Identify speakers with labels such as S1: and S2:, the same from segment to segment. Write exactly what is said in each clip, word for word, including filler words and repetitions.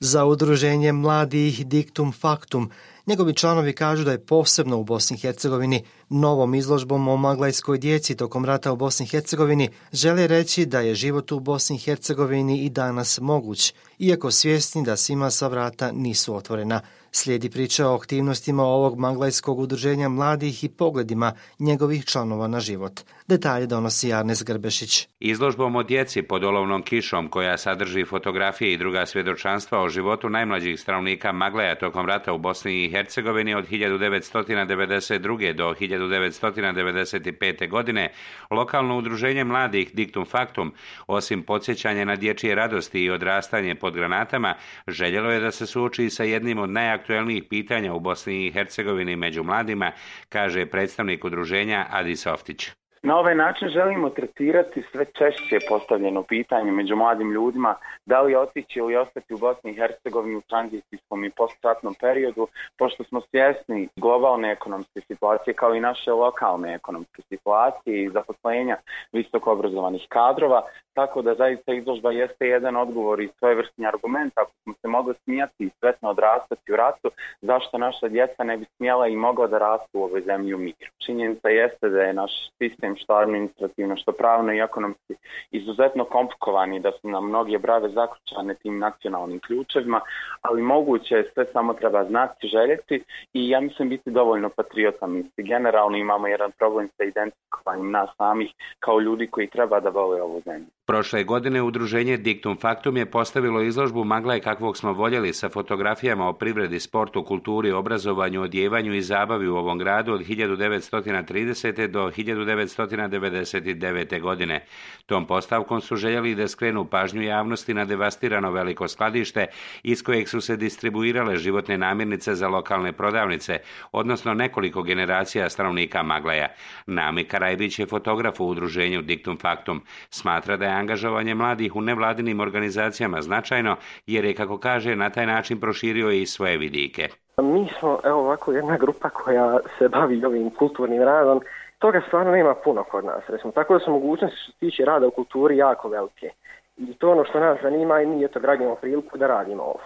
S1: Za udruženje mladih Dictum Factum, njegovi članovi kažu da je posebno u Bosni i Hercegovini novom izložbom o maglajskoj djeci tokom rata u Bosni i Hercegovini žele reći da je život u Bosni i Hercegovini i danas moguć, iako svjesni da svima sva vrata nisu otvorena. Slijedi priča o aktivnostima ovog maglajskog udruženja mladih i pogledima njegovih članova na život. Detalje donosi Arnes Grbešić.
S2: Izložbom o djeci pod olovnom kišom, koja sadrži fotografije i druga svjedočanstva o životu najmlađih stanovnika Maglaja tokom rata u Bosni i Hercegovini od hiljadu devetsto devedeset druge. do hiljadu devetsto devedeset pete. godine, lokalno udruženje mladih Dictum Factum, osim podsjećanja na dječje radosti i odrastanje pod granatama, željelo je da se suoči sa jednim od najaktuelnijih pitanja u Bosni i Hercegovini među mladima, kaže predstavnik udruženja Adi Softić.
S3: Na ovaj način želimo tretirati sve češće postavljeno pitanje među mladim ljudima da li otići ili ostati u Bosni i Hercegovini u tranzicijskom i postratnom periodu, pošto smo svjesni globalne ekonomske situacije kao i naše lokalne ekonomske situacije i zaposlenja visoko obrazovanih kadrova, tako da zaista izložba jeste jedan odgovor i svojevrsni argument. Ako smo se mogli smijati i sretno odrastati u ratu, zašto naša djeca ne bi smjela i mogla da rastu u ovoj zemlji u miru? Činjenica jeste da je naš sistem što administrativno, što pravno i ekonomski izuzetno komplikovani, da su nam mnoge brave zaključane tim nacionalnim ključevima, ali moguće je, sve samo treba znati, željeti i ja mislim biti dovoljno patriota. Mislim, generalno imamo jedan problem sa identifikovanjem nas samih kao ljudi koji treba da vole ovu zemlju.
S2: Prošle godine udruženje Dictum Factum je postavilo izložbu Maglaj kakvog smo voljeli sa fotografijama o privredi, sportu, kulturi, obrazovanju, odjevanju i zabavi u ovom gradu od hiljadu devetsto tridesete. do hiljadu devetsto devedeset devete. godine. Tom postavkom su željeli da skrenu pažnju javnosti na devastirano veliko skladište iz kojeg su se distribuirale životne namirnice za lokalne prodavnice, odnosno nekoliko generacija stanovnika Maglaja. Nami Karajbić je fotograf u udruženju Dictum Factum. Smatra da je angažovanje mladih u nevladinim organizacijama značajno, jer je, kako kaže, na taj način proširio i svoje vidike.
S4: Mi smo, evo ovako, jedna grupa koja se bavi ovim kulturnim radom. Toga stvarno nema puno kod nas, recimo, tako da su mogućnosti što se tiče rada u kulturi jako velike. I to ono što nas zanima i mi eto gradimo priliku da radimo ovo.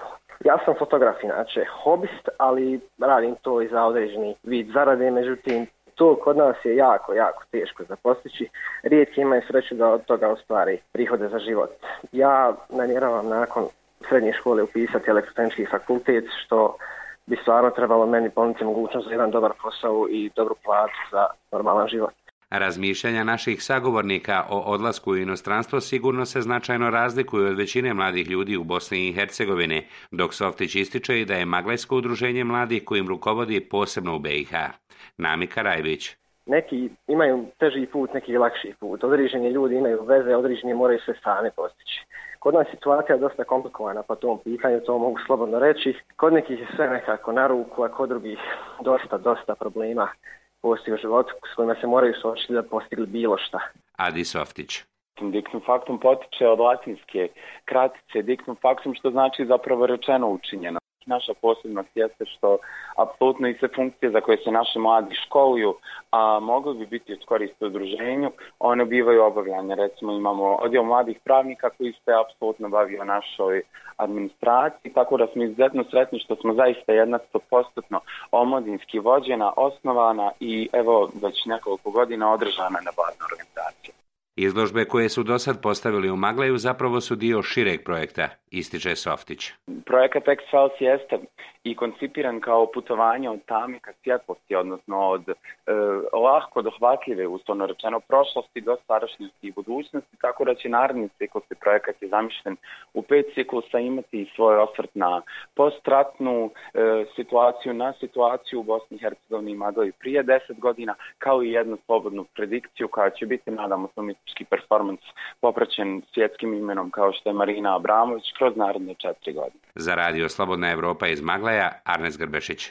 S4: Ja sam fotograf inače, hobist, ali radim to i za određeni vid zarade, međutim, to kod nas je jako, jako teško za postići. Rijetki imaju sreću da od toga ostvari prihode za život. Ja namjeravam nakon srednje škole upisati elektrotehnički fakultet, što bi stvarno trebalo meni ponuditi mogućnost za jedan dobar posao i dobru platu za normalan život.
S2: Razmišljanja naših sagovornika o odlasku u inostranstvo sigurno se značajno razlikuju od većine mladih ljudi u Bosni i Hercegovini, dok Softić ističe i da je Maglajsko udruženje mladih kojim rukovodi posebno u B i H. Nami Karajbić.
S4: Neki imaju teži put, neki lakši put. Određeni ljudi imaju veze, određeni moraju sve sami postići. Kod nas situacija je dosta komplikovana po tom pitanju, to mogu slobodno reći. Kod nekih je sve nekako na ruku, a kod drugih dosta, dosta problema postoji u životu s kojima se moraju suočiti da postigli bilo šta.
S2: Adi Softić.
S3: Dictum Factum potiče od latinske kratice Dictum Factum, što znači zapravo rečeno učinjeno. Naša posebnost jeste što apsolutno i sve funkcije za koje se naši mladi školuju, a mogli bi biti od koristi udruženju, one bivaju obavljanje. Recimo imamo odjel mladih pravnika koji se apsolutno bavi o našoj administraciji, tako da smo izuzetno sretni što smo zaista jedna sto posto omladinski vođena, osnovana i evo već nekoliko godina održana nevladna organizacija.
S2: Izložbe koje su do sad postavili u Maglaju zapravo su dio šireg projekta, ističe Softić.
S3: Projekat X-Files jeste i koncipiran kao putovanje od tame ka svjetlosti, odnosno od e, lahko dohvatljive, uslovno rečeno, prošlosti do sadašnjosti i budućnosti, tako da će naredni ciklus, projekat je zamišljen u pet ciklusa, imati svoj osvrt na postratnu e, situaciju, na situaciju u Bosni i Hercegovini i Maglaji prije deset godina, kao i jednu slobodnu predikciju koja će biti, nadamo se, umjetnički performans popraćen svjetskim imenom kao što je Marina Abramović kroz naredne četiri godine.
S2: Za radio Slobodna Evropa iz Maglaja, Arnes Grbešić.